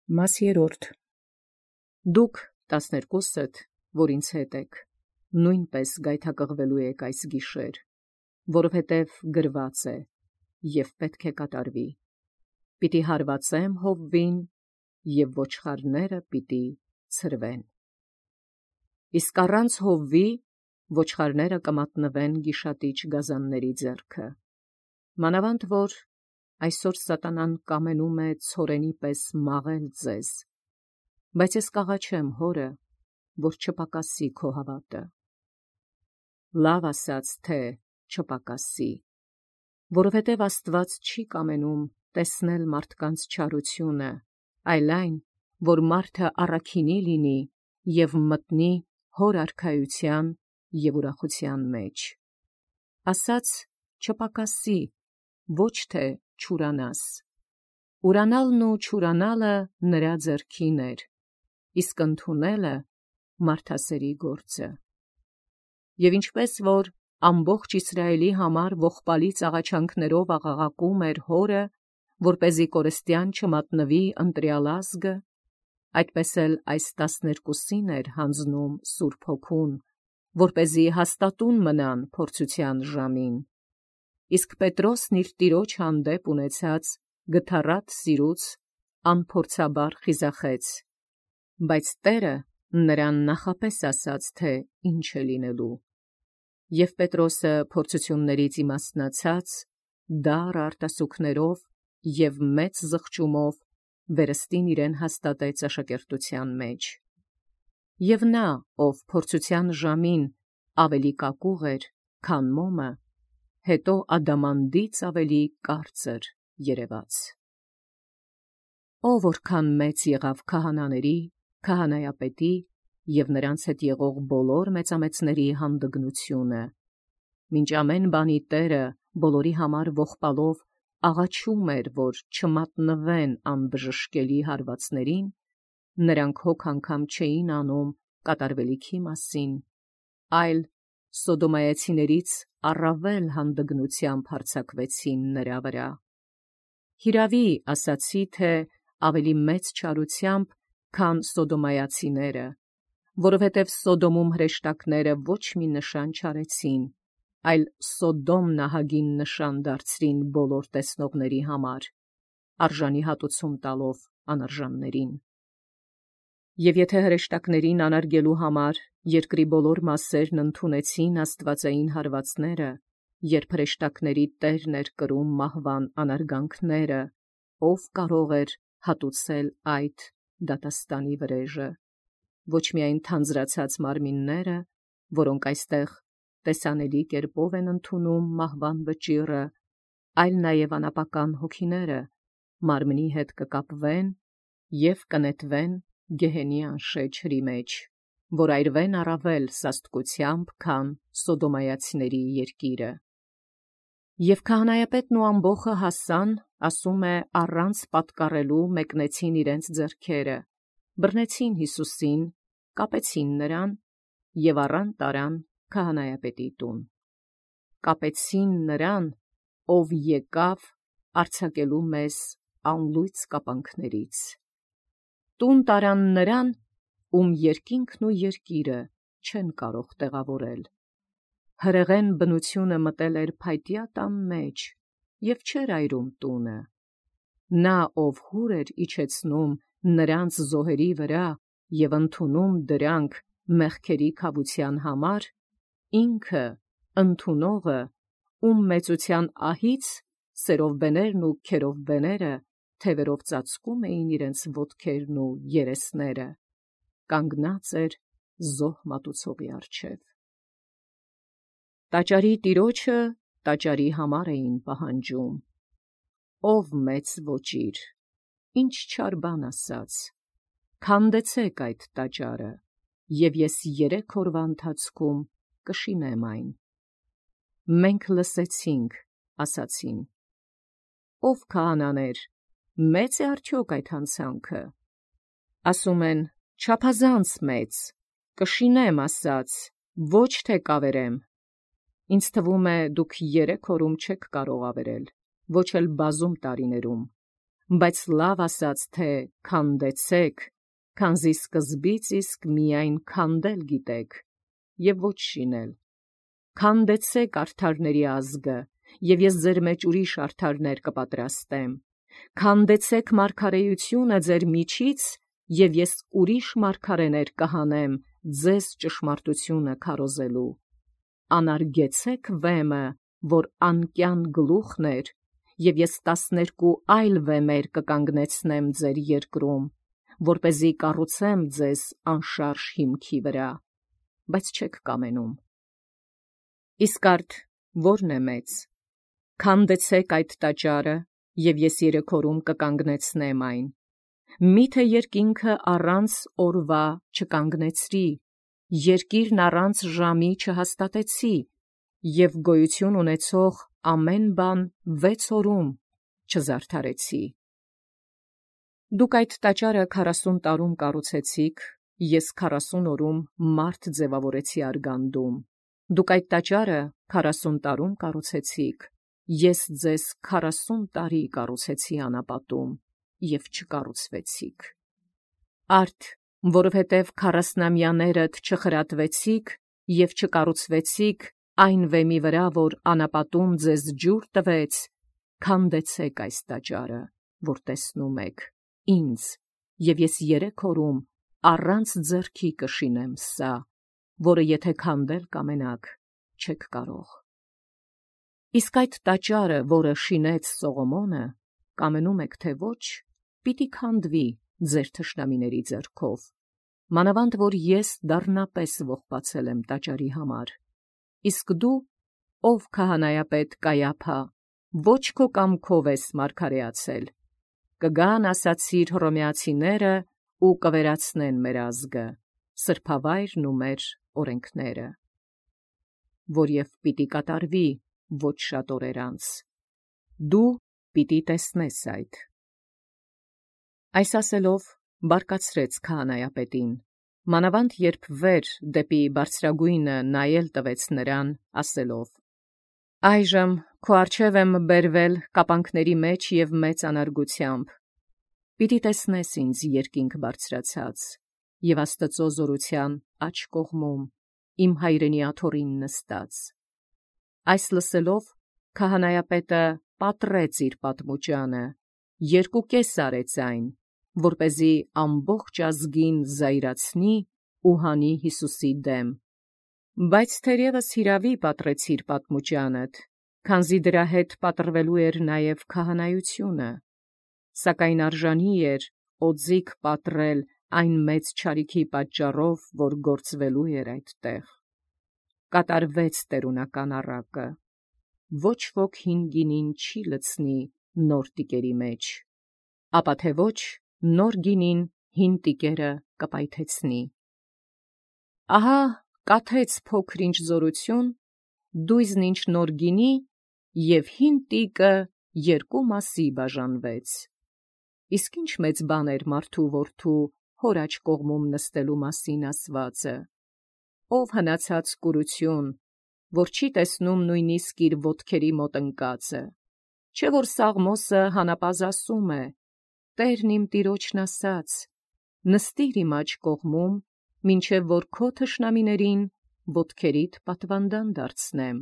Մաս 3. Դուք 12-դ, որ ինձ հետ եք, նույնպես գայթակղվելու եք այս գիշեր, որովհետև գրված է, և պետք է կատարվի. պիտի հարվածեմ հովվին, և ոչխարները պիտի ցրվեն։ Իսկ առանց հովվի ոչխարները կմատնվեն գիշատիչ գազանների ձեռքը։ Մանավանդ որ այսօր սատանան կամենում է ցորենի պես մաղել ձեզ, բայց ես կաղաչեմ Հորը, որ չպակասի քո հավատը։ Լավ ասաց, թե չպակասի, որովհետև Աստված չի կամենում տեսնել մարդկանց չարությունը, այլ այն, որ մարդը առաքինի լինի և մտնի Հոր արքայության և ուրախության մեջ։ Ասաց չպակասի, ոչ թե չուրանաս։ Ուրանալն ու չուրանալը նրա ձեռքին էր, իսկ ընդունելը մարդասերի գործը։ Եվ ինչպես որ ամբողջ Իսրայելի համար ողբալից աղաչանքներով աղաղակում էր Հորը, որպեսզի կորստյան չմատնվի ընտրյալ ազգը, այդպես էլ այս 12-ին էր հանձնում Սուրբ Հոգուն, որպեսզի հաստատուն մնան փորձության ժամին։ Իսկ Պետրոսն իր տիրոջ հանդեպ ունեցած գթառատ սիրուց անփորձաբար խիզախեց, բայց Տէրը նրան նախապես ասաց, թե ինչ է լինելու։ Եւ Պետրոսը փորձություններից իմաստնացած, դառ արտասուքներով և մեծ զղջումով վերստին իրեն հաստատեց աշակերտության մեջ։ Եվ նա, ով փորձության ժամին ավելի կակուղ էր, քան մոմը, հետո ադամանդից ավելի կարծր երևաց։ Ով որքան մեծ եղավ քահանաների, քահանայապետի և նրանց հետ եղող բոլոր մեծամեծների հանդգնությունը, մինչ ամեն բանի Տերը բոլորի համար ողբալով աղաչում էր, որ չմատնվեն անբժշկելի հարվածներին, նրանք հոգ անգամ չէին անում կատարվելիքի մասին, այլ սոդոմայացիներից առավել հանդգնությամբ հարձակվեցին նրա վրա։ Հիրավի ասացի, թե ավելի մեծ չարությամբ, քան սոդոմայացիները, որովհետև Սոդոմում հրեշտակները ոչ մի նշան չարեցին, այլ Սոդոմ նահագին նշան դարձրին բոլոր տեսնողների համար, արժանի հատուցում տալով անարժաններին։ Եվ եթե հրեշտակներին անարգելու համար երկրի բոլոր մասերն ընդունեցին աստվածային հարվածները, երբ հրեշտակների Տերն էր կրում մահվան անարգանքները, ով կարող էր հատուցել այդ դատաստանի վրեժը։ Ոչ միայն թանձրացած մարմինները, որոնք այստեղ տեսանելի կերպով են ընդունում մահվան վճիռը, այլ նաև անապական հոգիները մարմնի հետ կկապվեն և կնետվեն գեհենի անշեջ հրի մեջ, որ այրվեն առավել սաստկությամբ, քան սոդոմայացիների երկիրը։ Եվ քահանայապետն ու ամբոխը հասան, ասում է, առանց պատկառելու մեկնեցին իրենց ձեռքերը, բռնեցին Հիսուսին, կապեցին նրան և առան տարան քահանայապետի տուն։ Կապեցին նրան, ով եկավ արձակելու մեզ անլույծ կապանքներից։ Տուն տարան նրան, ում երկինքն ու երկիրը չեն կարող տեղավորել։ Հրեղեն բնությունը մտել էր փայտյա տան մեջ և չէր այրում տունը։ Նա, ով հուր էր իջեցնում նրանց զոհերի վրա և ընդունում դրանք մեղքերի քավության համար, ինքը ընդունողը, ում մեծության ահից սերովբեներն ու քերովբեները թևերով ծածկում էին իրենց ոտքերն ու երեսները, կանգնած էր զոհ մատուցողի առջև։ Տաճարի տիրոջը տաճարի համար էին պահանջում. «Ով մեծ ոճիր, ինչ չար բան ասաց, քանդեցեք այդ տաճարը, և ես 3 օրվա ընթացքում կշինեմ այն»։ Մենք լսեցինք, ասացին. «Ով քահանաներ, մե՞ծ է արդյոք այդ հանցանքը»։ Ասում են. «Չափազանց մեծ, կշինեմ ասաց, ոչ թե կավերեմ»։ Ինձ թվում է, դուք 3 օրում չեք կարող ավերել, ոչ էլ բազում տարիներում, բայց լավ ասաց, թե քանդեցեք, քանզի սկզբից իսկ միայն քանդել գիտեք, եւ ոչ շինել։ Քանդեցեք արդարների ազգը, եւ ես ձեր մեջ ուրիշ արդարներ կպատրաստեմ։ Քանդեցեք մարգարեությունը ձեր միջից, եւ ես ուրիշ մարգարեներ կհանեմ ձեզ ճշմարտությունը քարոզելու։ Անարգեցեք վեմը, որ անկյան գլուխն էր, եւ ես 12 այլ վեմեր կկանգնեցնեմ ձեր երկրում, որպեսզի կառուցեմ ձեզ անշարժ հիմքի վրա, բայց չեք կամենում։ Իսկ արդ ո՞րն է մեծ։ Քանդեցեք այդ տաճարը, եւ ես 3 օրում կկանգնեցնեմ այն։ Միթե երկինքը առանց օրվա չկանգնեցրի, երկիրն առանց ժամի չհաստատեցի, եւ գոյություն ունեցող ամեն բան 6 օրում չզարդարեցի։ Դուք այդ տաճարը 40 տարում կառուցեցիք, ես 40 օրում մարդ ձևավորեցի արգանդում։ Դուք այդ տաճարը 40 տարում կառուցեցիք, ես ձեզ 40 տարի կառուցեցի անապատում, եւ չկառուցվեցիք։ Արդ, որովհետև 40-ամյաներդ չխրատվեցիք եւ չկառուցվեցիք այն վեմի վրա, որ անապատում ձեզ ջուր տվեց, քանդեցեք այս տաճարը, որ տեսնում եք, ինձ, եւ ես 3 օրում առանց ձեռքի կշինեմ սա, որը եթե քանդել կամենաք, չեք կարող։ Իսկ այդ տաճարը, որը շինեց Սողոմոնը, կամենում եք թե ոչ, պիտի քանդվի ձեր թշնամիների ձեռքով, մանավանդ որ ես դառնապես ողբացել եմ տաճարի համար։ Իսկ դու, ով քահանայապետ Կայափա, ոչ քո կամքով ես մարգարեացել, կգան ասացիր հռոմեացիները ու կվերացնեն մեր ազգը, սրբավայրն ու մեր օրենքները, որ եւ պիտի կատարվի ոչ շատ օրեր անց։ Դու պիտի տեսնես այդ։ Այս ասելով բարկացրեց քահանայապետին, մանավանդ երբ վեր դեպի բարձրագույնը նայել տվեց նրան, ասելով. Այժմ քո առջև եմ բերվել կապանքների մեջ եւ մեծ անարգությամբ։ Պիտի տեսնես ինձ երկինք բարձրացած եւ Աստծո զորության աջ կողմում իմ հայրենի աթոռին նստած։ Այս լսելով քահանայապետը պատռեց իր պատմուճանը, 2 արեց այն, որպեսզի ամբողջ ազգին զայրացնի ու հանի Հիսուսի դեմ։ Բայց թերևս հիրավի պատռեցիր պատմուճանդ, քանզի դրա հետ պատռվելու էր նաև քահանայությունը, սակայն արժանի էր օձիք պատռել այն մեծ չարիքի պատճառով, որ գործվելու էր այդտեղ։ Կատարվեց տերունական առակը, ոչ ոք հին գինին չի լցնի նոր տիկերի մեջ, ապա թե ոչ նոր գինին հին տիկերը կպայթեցնի։ Ահա կաթեց փոքր-ինչ զորություն, դույզն ինչ նոր գինի, եւ հին տիկը 2 մասի բաժանվեց։ Իսկ ինչ մեծ բան էր մարդու որդու հոր աջ կողմում նստելու մասին ասվածը, ով հնացած կուրություն, որ չի տեսնում նույնիսկ իր ոտքերի մոտ ընկածը, չէ որ Սաղմոսը հանապազը ասում է. Տերն իմ տիրոջն ասաց. նստիր իմ աջ կողմում, մինչև որ քո թշնամիներին ոտքերիդ պատվանդան դարձնեմ։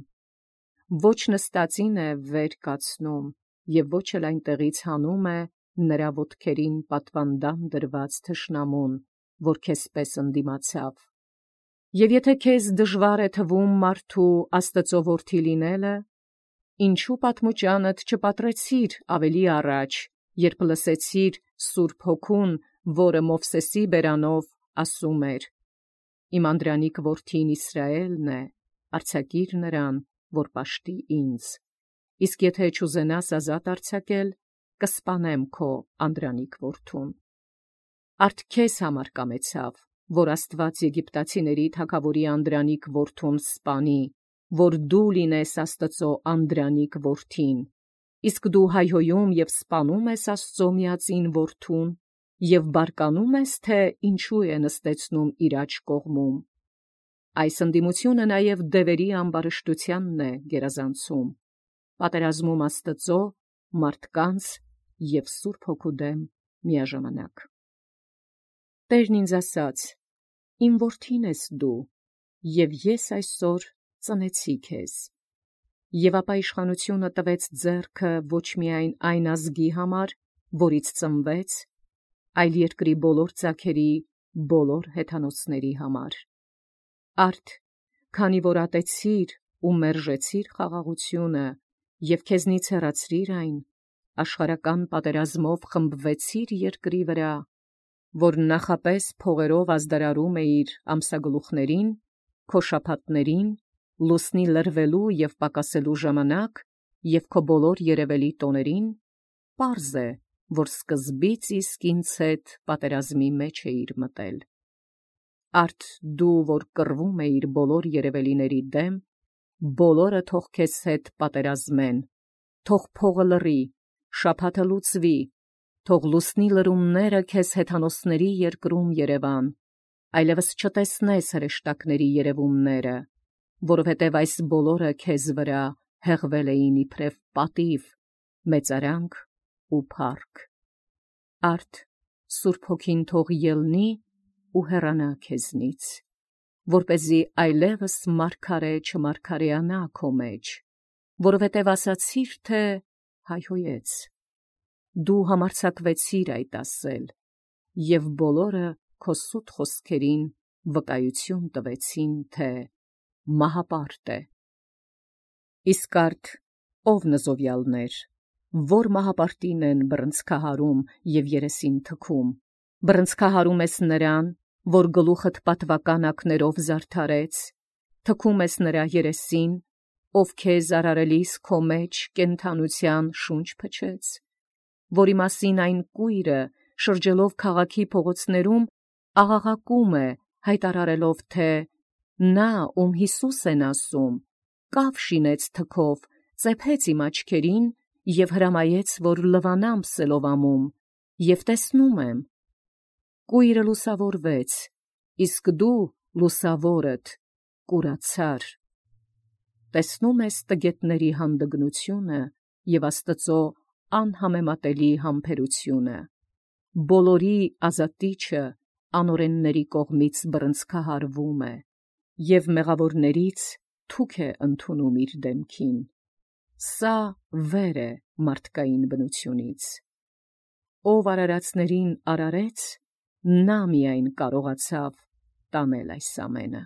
Ոչ նստածին է վեր կացնում, եւ ոչ էլ այնտեղից հանում է նրա ոտքերին պատվանդան դրված թշնամուն, որ քեզպես ընդդիմացավ։ Եվ եթե քեզ դժվար է թվում մարդու Աստծո որդի լինելը, ինչու պատմուճանդ չպատրեցիր ավելի առաջ, երբ լսեցիր Սուրբ Հոգուն, որը Մովսեսի բերանով ասում էր. Իմ անդրանիկ որդին Իսրայելն է, արձակիր նրան, որ պաշտի ինձ։ Իսկ եթե չուզենաս ազատ արձակել, կսպանեմ քո անդրանիկ որդուն։ Արդ քեզ համար կամեցավ, որ Աստված եգիպտացիների թագավորի անդրանիկ որդուն սպանի, որ դու լինես Աստծո անդրանիկ որդին, իսկ դու հայհոյում եւ սպանում ես Աստծո միածին որդուն, եւ բարկանում ես, թե ինչու է նստեցնում իր աջ կողմում։ Այս ընդդիմությունը նաեւ դևերի ամբարշտությանն է գերազանցում, պատերազմում Աստծո, մարդկանց և Սուրբ Հոգու դեմ միաժամանակ։ Տերն ինձ ասաց. «Իմ որդին ես դու, և ես այսօր ծնեցի քեզ»։ Եվ ապա իշխանությունը տվեց ձեռքը ոչ միայն այն ազգի համար, որից ծնվեց, այլ երկրի բոլոր ծագերի, բոլոր հեթանոսների համար։ Արդ, քանի որ ատեցիր ու մերժեցիր խաղաղությունը և քեզնից հեռացրիր այն, աշխարհական պատերազմով խմբվեցիր երկրի վրա, որ նախապես փողերով ազդարարում էիր ամսագլուխներին, քո շաբաթներին, լուսնի լրվելու և պակասելու ժամանակ և քո բոլոր երևելի տոներին, պարզ է, որ սկզբից իսկ ինձ հետ պատերազմի մեջ էիր մտել։ Արդ դու, որ կռվում էիր բոլոր երևելիների դեմ, բոլորը թող քեզ հետ պատերազմեն, թող փողը լռի, շաբաթը լուծվի, թող լուսնի լրումները քեզ հեթանոսների երկրում երևան, այլևս չտեսնես հրեշտակների երևումները, որովհետև այս բոլորը քեզ վրա հեղվել էին իբրև պատիվ, մեծարանք ու փառք։ Արդ Սուրբ Հոգին թող ելնի ու հեռանա քեզնից, որպեսզի այլևս մարգարե չմարգարեանա քո մեջ, որովհետև ասացիր, թե հայհոյեց։ Դու համարձակվեցիր այդ ասել, և բոլորը քո սուտ խոսքերին վկայություն տվեցին, թե մահապարտ է։ Իսկ արդ ով նզովյալներ, որ մահապարտին են բռնցքահարում և երեսին թքում, բռնցքահարում ես նրան, որ գլուխդ պատվական ակներով զարդարեց, թքում ես նրա երեսին, ով քեզ արարելիս քո մեջ կենդանության շունչ փչեց, որի մասին այն կույրը, շրջելով քաղաքի փողոցներում, աղաղակում է, հայտարարելով, թե նա, ում Հիսուս են ասում, կավ շինեց թքով, ծեփեց իմ աչքերին և հրամայեց, որ լվանամ Սելովամում, և տեսնում եմ։ Կույրը լուսավորվեց, իսկ դու լուսավորդ կուրացար։ Տեսնում ես տգետների հանդգնությունը և Աստծո անհամեմատելի համբերությունը։ Բոլորի ազատիչը անօրենների կողմից բռնցքահարվում է, և մեղավորներից թուք է ընդունում իր դեմքին։ Սա վեր է մարդկային բնությունից։ Ով արարածներին արարեց, նա միայն կարողացավ տանել այս ամենը։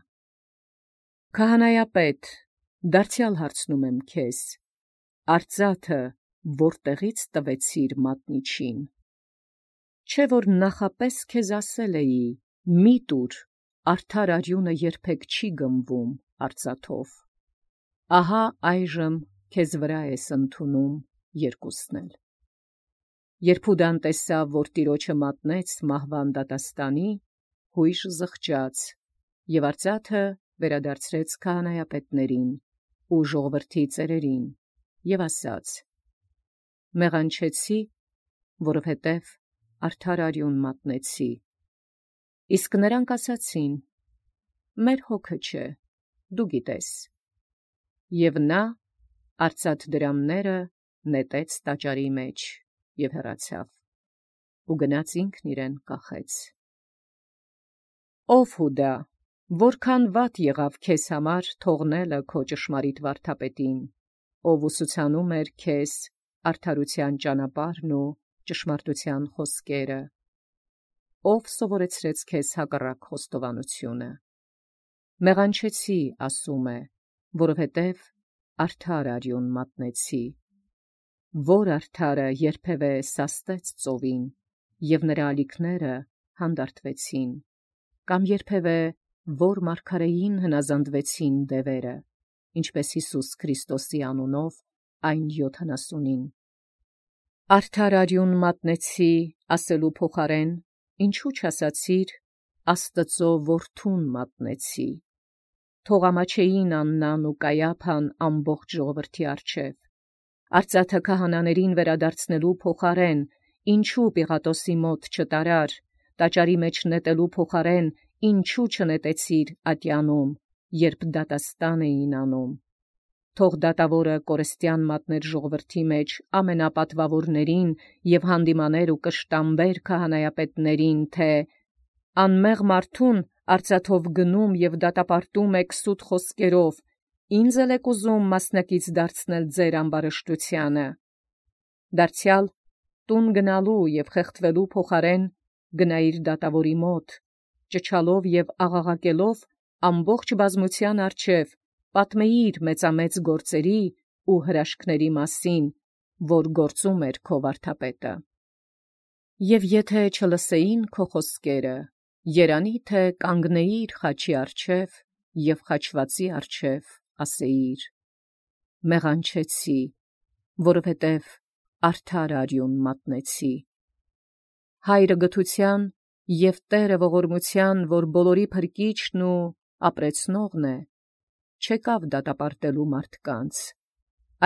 Քահանայապետ, դարձյալ հարցնում եմ քեզ, արծաթը որտեղից տվեցիր մատնիչին։ Չէ՞ որ նախապես քեզ ասել էի, մի տուր, արդար արյունը երբեք չի գմվում արծաթով։ Ահա այժմ քեզ վրա ես ընդունում երկուսն էլ։ Երբ Հուդան տեսավ, որ տիրոջը մատնեց մահվան դատաստանի, հույժ զղջաց, և արծաթը վերադարձրեց քահանայապետներին ու ժողովրդի ծերերին, և ասաց. մեղանչեցի, որովհետև արդար արյուն մատնեցի։ Իսկ նրանք ասացին. մեր հոգը չէ, դու գիտես։ Եվ նա արծաթ դրամները նետեց տաճարի մեջ և հեռացավ, ու գնաց ինքն իրեն կախեց։ Ով Հուդա, որքան վատ եղավ քեզ համար թողնելը քո ճշմարիտ վարդապետին, ով ուսուցանում էր քեզ արդարության ճանապարհն ու ճշմարտության խոսքերը, ով սովորեցրեց քեզ հակառակ խոստովանությունը։ Մեղանչեցի, ասում է, որովհետև արդար արյուն մատնեցի, որ արդարը երբևէ սաստեց ծովին, և նրա ալիքները հանդարտվեցին, կամ երբևէ որ մարգարեին հնազանդվեցին դևերը, ինչպես Հիսուս Քրիստոսի անունով այն 70-ին։ Արդար արյուն մատնեցի ասելու փոխարեն, ինչու չասացիր Աստծո որդուն մատնեցի։ Թող ամաչեին Աննան ու Կայափան ամբողջ ժողովրդի առջև։ Արծաթը քահանաներին վերադարձնելու փոխարեն, ինչու Պիղատոսի մոտ չտարար, տաճարի մեջ նետելու փոխարեն, ինչու չնետեցիր ատյանում, երբ դատաստան էին անում։ թող դատավորը կորստյան մատներ ժողովրդի մեջ ամենապատվավորներին եւ հանդիմաներ ու կշտամբեր քահանայապետներին, թե անմեղ մարդուն արծաթով գնում եւ դատապարտում եք սուտ խոսքերով, ինձ էլ եք ուզում մասնակից դարձնել ձեր ամբարշտությանը։ Դարձյալ տուն գնալու եւ խեղդվելու փոխարեն գնայիր դատավորի մոտ, ճչալով եւ աղաղակելով ամբողջ բազմության առջև, պատմեիր մեծամեծ գործերի ու հրաշքների մասին, որ գործում էր քո վարդապետը։ Եվ եթե չլսեին քո խոսքերը, երանի թե կանգնեիր խաչի առջև եւ խաչվածի առջև ասեիր. մեղանչեցի, որովհետև արդար արյուն մատնեցի։ Հայրը գթության եւ Տերը ողորմության, որ բոլորի փրկիչն ու ապրեցնողն է, չեկավ դատապարտելու մարդկանց,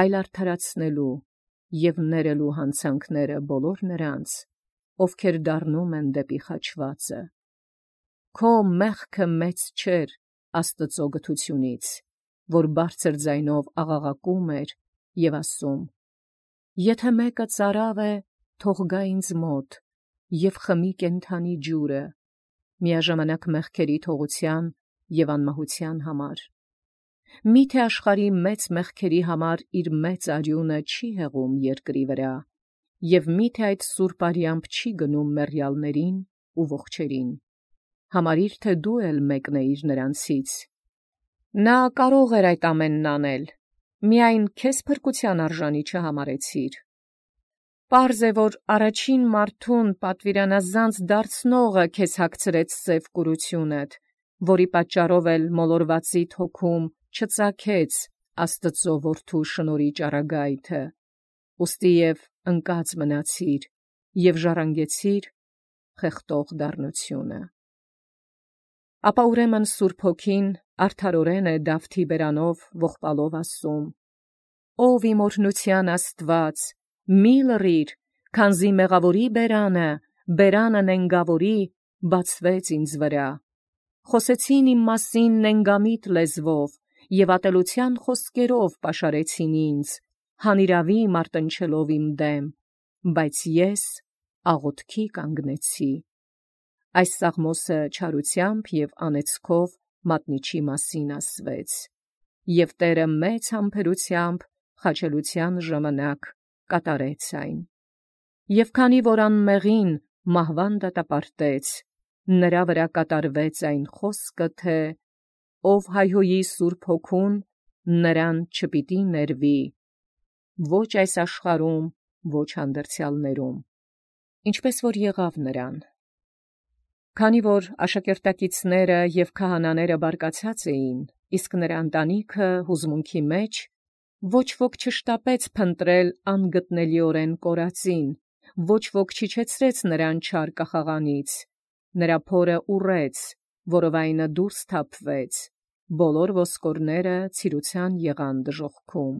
այլ արդարացնելու եւ ներելու հանցանքները բոլոր նրանց, ովքեր դառնում են դեպի խաչվածը։ Քո մեղքը մեծ չէր Աստծո գթությունից, որ բարձր ձայնով աղաղակում էր եւ ասում. եթե մեկը ծարավ է, թող գա ինձ մոտ եւ խմի կենդանի ջուրը, միաժամանակ մեղքերի թողության եւ անմահության համար։ Միթե աշխարհի մեծ մեղքերի համար իր մեծ արյունը չի հեղում երկրի վրա, եւ միթե այդ սուրբ արյամբ չի գնում մեռյալներին ու ողջերին։ Համարիր, թե դու էլ մեկն էիր նրանցից։ Նա կարող էր այդ ամենն անել, միայն քեզ փրկության արժանի չհամարեցիր։ Պարզ է, որ առաջին մարդուն պատվիրանազանց դարձնողը քեզ հագցրեց սև կուրությունդ, որի պատճառով էլ մոլորվածիդ հոգում չծագեց Աստծո որդու շնորհի ճառագայթը, ուստի եւ ընկած մնացիր եւ ժառանգեցիր խեղդող դառնությունը։ Ապա ուրեմն Սուրբ Հոգին արդարորեն է Դավթի բերանով ողբալով ասում. «Ով իմ օրհնության Աստված, մի լռիր, քանզի մեղավորի բերանը նենգավորի բացվեց ինձ վրա։ Խոսեցին իմ մասին նենգամիտ լեզվով եւ ատելության խոսքերով պաշարեցին ինձ, հանիրավի մարտնչելով իմ դեմ, բայց ես աղոթքի կանգնեցի»։ Այս սաղմոսը չարությամբ եւ անեծքով մատնիչի մասին ասվեց, եւ Տերը մեծ համբերությամբ խաչելության ժամանակ կատարեց այն։ Եվ քանի որ անմեղին մահվան դատապարտեց, նրա վրա կատարվեց այն խոսքը, թե ով հայհոյի Սուրբ Հոգուն, նրան չպիտի ներվի, ոչ այս աշխարհում, ոչ հանդերձյալներում, ինչպես որ եղավ նրան։ Քանի որ աշակերտակիցները եւ քահանաները բարկացած էին, իսկ նրա ընտանիքը հուզմունքի մեջ, ոչ ոք չշտապեց փնտրել անգտնելիորեն կորածին, ոչ ոք չիջեցրեց նրան չար կախաղանից, նրա փորը ուռեց, որովայնը դուրս թափվեց, բոլոր ոսկորները ցիրության եղան դժոխքում,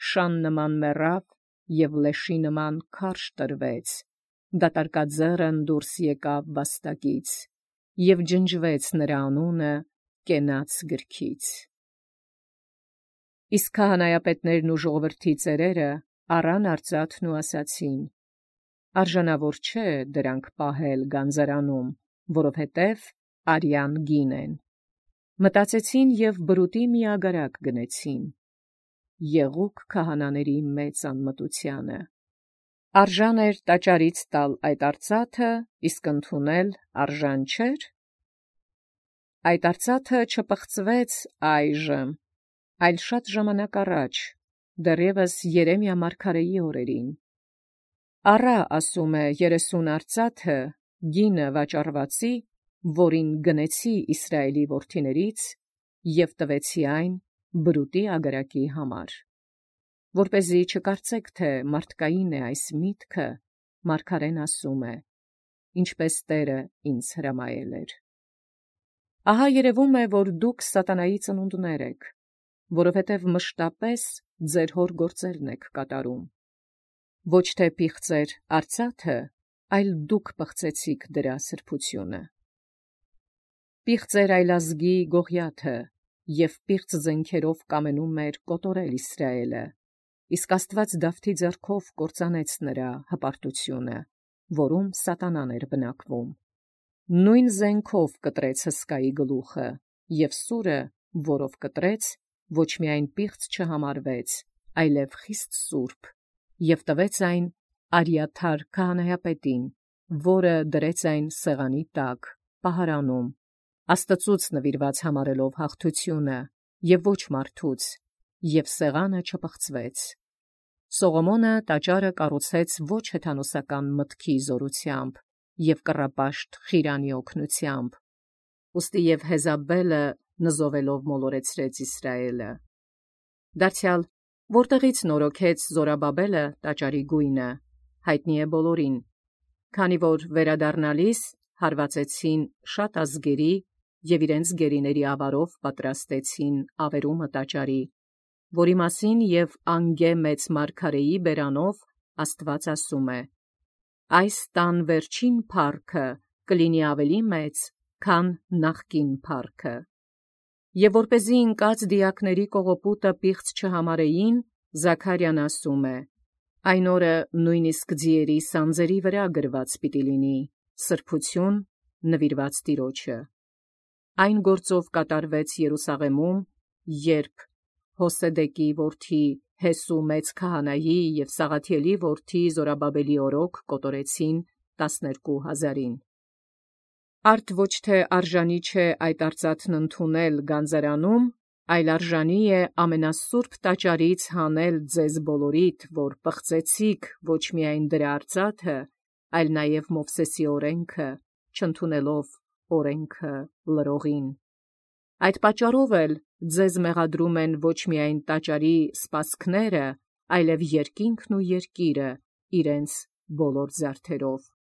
շան նման մեռավ եւ լեշի նման քարշ տրվեց, դատարկաձեռն դուրս եկավ վաստակից, եւ ջնջվեց նրա անունը կենաց գրքից։ Իսկ քահանայապետներն ու ժողովրդի ծերերը առան արծաթն ու ասացին. արժանավոր չէ դրանք պահել գանձարանում, որովհետև արյան գին են։ Մտածեցին եւ բրուտի մի ագարակ գնեցին։ Եղուկ քահանաների մեծ անմտությանը։ Արժան էր տաճարից տալ այդ արծաթը, իսկ ընդունել արժան չէր։ Այդ արծաթը չպղծվեց այժմ, այլ շատ ժամանակ առաջ, դեռևս Երեմիա մարգարեի օրերին։ Առա, ասում է, 30 արծաթը, գինը վաճառվածի, որին գնեցի Իսրայելի որդիներից, եւ տվեցի այն բրուտի ագարակի համար։ Որպեսզի չկարծեք, թե մարդկային է այս միտքը, մարգարեն ասում է, ինչպես Տերը ինձ հրամայել էր։ Ահա երևում է, որ դուք սատանայի ծնունդներ եք, որովհետև մշտապես ձեր հոր գործերն եք կատարում։ Ոչ թե պիղծեր արծաթը, այլ դուք պղծեցիք դրա սրբությունը։ Պիղծեր այլազգի Գողիաթը, և պիղծ զենքերով կամենում էր կոտորել Իսրայէլը, իսկ Աստուած Դավթի ձեռքով կործանեց նրա հպարտությունը, որում սատանան էր բնակվում։ Նույն զենքով կտրեց հսկայի գլուխը, և սուրը, որով կտրեց, ոչ միայն պիղծ չհամարվեց, այլև խիստ սուրբ, և տվեց այն Արիաթար քահանայապետին, որը դրեց այն սեղանի տակ, պահարանում, Աստծուց նվիրված համարելով հաղթությունը, և ոչ մարդուց, և սեղանը չփղծվեց։ Սողոմոնը տաճարը կառուցեց ոչ հեթանոսական մտքի զորությամբ և կռապաշտ Խիրանի օգնությամբ, ուստի և Հեզաբելը նզովելով մոլորեցրեց Իսրայէլը։ Դարձյալ որտեղից նորոգեց Զորաբաբելը տաճարի գույնը, հայտնի է բոլորին, քանի որ վերադառնալիս հարվածեցին շատ ազգերի և իրենց գերիների ավարով պատրաստեցին ավերումը տաճարի, որի մասին և Անգե մեծ մարգարեի բերանով Աստված ասում է. «Այս տան վերջին փառքը կլինի ավելի մեծ, քան նախկին փառքը»։ Եվ որպեսզի ընկած դիակների կողոպուտը պիղծ չհամարեին, Զաքարիան ասում է. «Այն օրը նույնիսկ ձիերի սանձերի վրա գրված պիտի լինի. սրբություն նվիրված Տիրոջը»։ Այն գործով կատարվեց Երուսաղեմում, երբ Հոսեդեկի որդի Հեսու մեծ քահանայի և Սաղաթիելի որդի Զորաբաբելի օրոք կոտորեցին 12,000-ին։ Արդ ոչ թե արժանի չէ այդ արծաթն ընդունել գանձարանում, այլ արժանի է ամենասուրբ տաճարից հանել ձեզ բոլորիդ, որ պղծեցիք ոչ միայն դրա արծաթը, այլ նաև Մովսեսի օրենքը, չընդունելով օրենքը լրողին։ Այդ պատճառով էլ ձեզ մեղադրում են ոչ միայն տաճարի սպասքները, այլև երկինքն ու երկիրը իրենց բոլոր զարդերով։